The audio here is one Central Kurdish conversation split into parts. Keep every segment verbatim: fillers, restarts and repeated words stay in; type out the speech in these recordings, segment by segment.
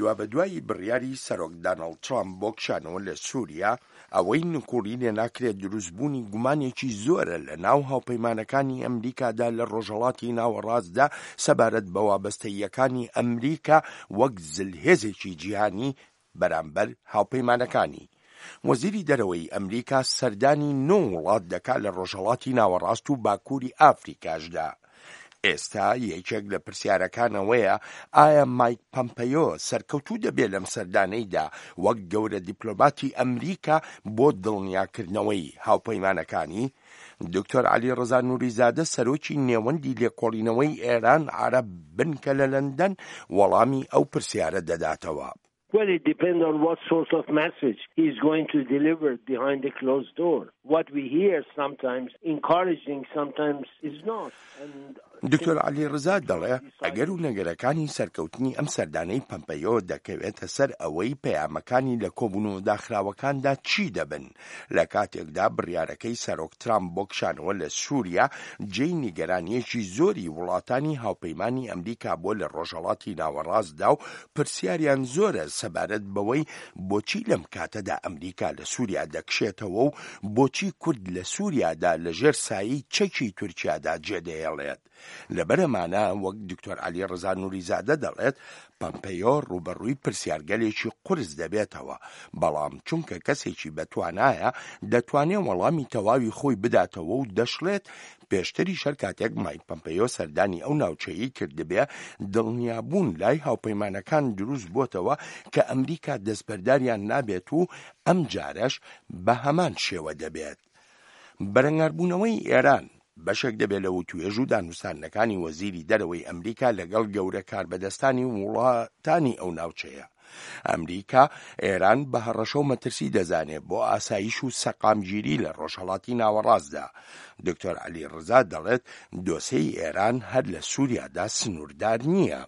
دوابەدوای بڕیاری سەرۆک داناڵد ترامپ بۆ کشانەوە لە سووریا، ئەوەی نکوڵی لێ ناکرێت دروستبوونی گومانێکی زۆرە لە ناو هاوپەیمانەکانی ئەمریکادا لە ڕۆژهەڵاتی ناوەڕاستدا سەبارەت بە وابەستەییەکانی ئەمریکا وەک زلهێزێکی جیهانی بەرامبەر هاوپەیمانەکانی. وەزیری دەرەوەی ئەمریکا سەردانی نۆ وڵات دەکات لە ڕۆژهەڵاتی ناوەڕاست و باکووری ئافریکاشدا. ئێستا یەکێک لە پرسیارەکان ئەوەیە ئایا مایک پەمپەیۆ سەرکەوتوو دەبێت لەم سەردانەیدا وەک گەورە دیپلۆماتی ئەمریکا بۆ دڵنیاکردنەوەی هاوپەیمانەکانی؟ دکتۆر عەلی ڕەزا نوریزادە سەرۆکی نێوەندی لێکۆڵینەوەی ئێران عەرەب بنکە لە لەندەن وەڵامی ئەو پرسیارە دەداتەوە. Well, it depends on what sort of message he's going to deliver behind the closed door. What we hear sometimes encouraging, sometimes is not. And دکتۆر عەلی ڕزا دەڵێ ئەگەر و نەگەرەکانی سەرکەوتنی ئەم سەردانەی پەمپەیۆ دەکەوێتە سەر ئەوەی پەیامەکانی لە کۆبوونەوە داخراوەکاندا چی دەبن لە کاتێکدا بڕیارەکەی سەرۆک ترامپ بۆ کشانەوە لە سووریا جێی نیگەرانییەکی زۆری وڵاتانی هاوپەیمانی ئەمریکا بووە لە ڕۆژهەڵاتی ناوەڕاستدا و پرسیاریان زۆرە سەبارەت بەوەی بۆچی لەم کاتەدا ئەمریکا لە سووریا دەکشێتەوە و بۆچی کورد لە سووریادا لەژێر سایەی چەکی تورکیادا جێدەهێڵێت. لەبەرئەمانە وەک دکتۆر عەلی ڕەزا نوریزادە دەڵێت پەمپەیۆ ڕووبەڕووی پرسیارگەلێکی قورس دەبێتەوە، بەڵام چونکە کەسێکی بەتوانایە دەتوانێ وەڵامی تەواوی خۆی بداتەوە و دەشڵێت پێشتریش هەر کاتێک مایک پەمپەیۆ سەردانی ئەو ناوچەیەی کردبێ دڵنیابوون لای هاوپەیمانەکان دروست بۆتەوە کە ئەمریکا دەستبەرداریان نابێت و ئەمجارەش بە هەمان شێوە دەبێت. بەرەنگاربوونەوەی ئێران بەشێک دەبێت لە وتوێژ و دانوستاندنەکانی وەزیری دەرەوەی ئەمریکا لەگەڵ گەورە کاربەدەستانی وڵاتانی ئەو ناوچەیە. ئەمریکا ئێران بە هەڕەشە و مەترسی دەزانێ بۆ ئاسایش و سەقامگیری لە ڕۆژهەڵاتی ناوەڕاستدا. دکتۆر عەلی ڕزا دەڵێت دۆسێی ئێران هەر لە سووریادا سنووردار نییە.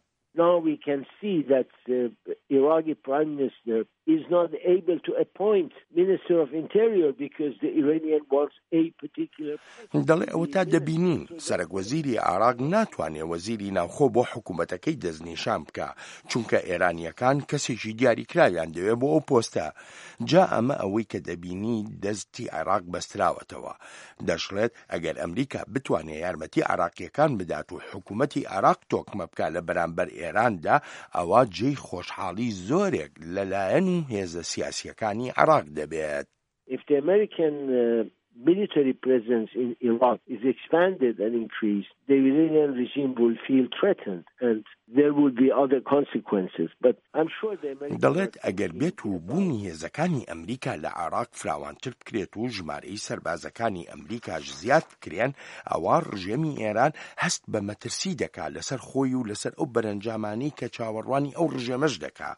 Now we can see that the Iraqi prime minister is not able to appoint minister of interior because the Iranian wants a particular دەڵێ ئەوەتا دەبینین سەرەک وەزیری عێراق ناتوانێ وەزیری ناوخۆ بۆ حکوومەتەکەی دەستنیشان بکا چونکە ئێرانییەکان کەسێکی دیاریکراویان دەوێ بۆ ئەو پۆستە جا ئەمە ئەوەی کە دەبینی دەستی عێراق بەستراوەتەوە دەشڵێت ئەگەر ئەمریکا بتوانێ یارمەتی عێراقییەکان بدات و حکوومەتی عێراق تۆکمە بکا لە بەرامبەر ئێراندا ئەوا جێی خۆشحاڵی زۆرێک لە لایەن و هێزە سیاسییەکانی عێراق دەبێت. If the American military presence in Iraq is expanded and increased, the Iranian regime will feel threatened and there will be other consequences. But I'm sure the Americans دەڵێت ئەگەر بێت و بوونی هێزەکانی ئەمریکا لە عێراق فراوانتر بکرێت و ژمارەی سەربازەکانی ئەمریکاش زیاد بکرێن ئەوا ڕژێمی ئێران هەست بە مەترسی دەکا لەسەر خۆی و لەسەر ئەو بەرەنجامانەی کە چاوەڕوانی ئەو ڕژێمەش دەکا.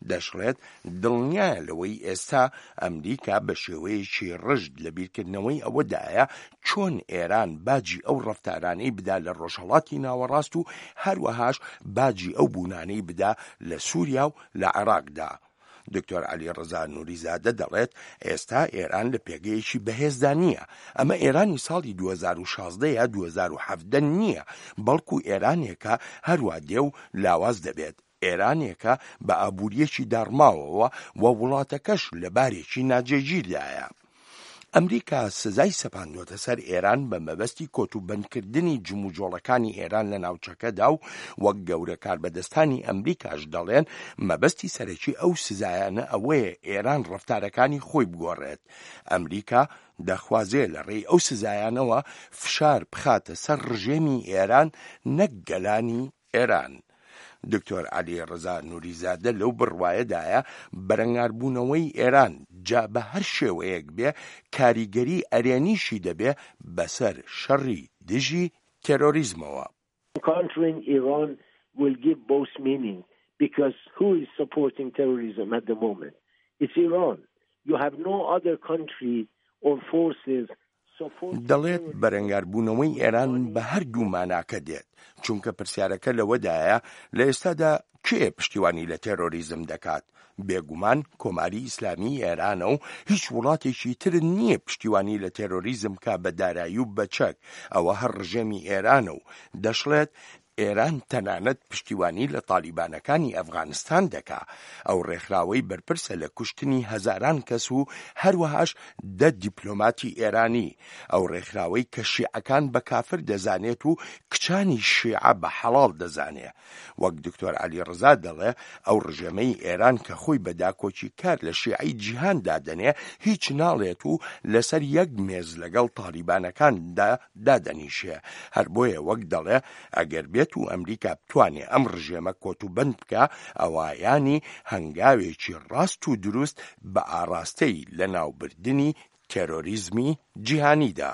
دەشڵێت دڵنیایە لەوەی ئێستا ئەمریکا بە شێوەیەکی ڕژد لە بیرکردنەوەی ئەوەدایە چۆن ئێران باجی ئەو ڕەفتارانەی بدا لە ڕۆژهەڵاتی ناوەڕاست و هەروەهاش باجی ئەو بوونانەی بدا لە سووریا و لە عێراقدا. دکتۆر عەلی ڕەزا نوریزادە دەڵێت ئێستا ئێران لە پێگەیەکی بەهێزدا نییە، ئەمە ئێرانی ساڵی دوو هەزار و شازدە یا دوو هەزار و حەڤدە نییە، بەڵکو ئێرانێکە هەروا دێ و لاواز دەبێت، ئێرانێکە بە ئابوورییەکی داڕماوەوە و وڵاتەکەش لە بارێکی ناجێگیردایە. ئەمریکا سزای سەپاندووەتە سەر ئێران بە مەبەستی کۆتوبەندکردنی جموجۆڵەکانی ئێران لە ناوچەکەدا و وەک گەورە کاربەدەستانی ئەمریکاش دەڵێن مەبەستی سەرەکی ئەو سزایانە ئەوەیە ئێران ڕەفتارەکانی خۆی بگۆڕێت. ئەمریکا دەخوازێ لە ڕێی ئەو سزایانەوە فشار بخاتە سەر ڕژێمی ئێران نەک گەلانی ئێران. دکتۆر عەلی ڕەزا نوریزادە لەو بڕوایەدایە بەرەنگاربوونەوەی ئێران جا بە هەر شێوەیەک بێ کاریگەری ئەرێنیشی دەبێ بەسەر شەڕی دژی تێرۆریزمەوە. Countering Iran will give both meaning because who is supporting terrorism at the moment? It's Iran. You have no other country or forces دەڵێت بەرەنگاربوونەوەی ئێران بە هەردوو ماناکە دێت، چونکە پرسیارەکە لەوەدایە لە ئێستادا کێ پشتیوانی لە تێرۆریزم دەکات؟ بێگومان کۆماری ئیسلامیی ئێرانە و هیچ وڵاتێکی تر نییە پشتیوانی لە تێرۆریزم بکا بە دارایی و بە چەک، ئەوە هەر ڕژێمی ئێرانە و دەشڵێت ئێران تەنانەت پشتیوانی لە تالیبانەکانی ئەفغانستان دەکا، ئەو ڕێکخراوەی بەرپرسە لە کوشتنی هەزاران کەس و هەروەهاش دە دیپلۆماتی ئێرانی، ئەو ڕێکخراوەی کە شیعەکان بە کافر دەزانێت و کچانی شیعە بە حەڵاڵ دەزانێ. وەک دکتۆر عەلیڕەزا دەڵێ ئەو ڕژێمەی ئێران کە خۆی بە داکۆکیکار لە شیعەی جیهان دادەنێ هیچ ناڵێت و لەسەر یەک مێز لەگەڵ تالیبانەکاندا دادەنیشێ، هەر بۆیە وەک دەڵێ ئەگەر بێت و ئەمریکا بتوانێ ئەم ڕژێمە کۆتوبەند بکا ئەوا یانی هەنگاوێکی ڕاست و دروست بە ئاڕاستەی لەناوبردنی تێرۆریزمی جیهانیدا.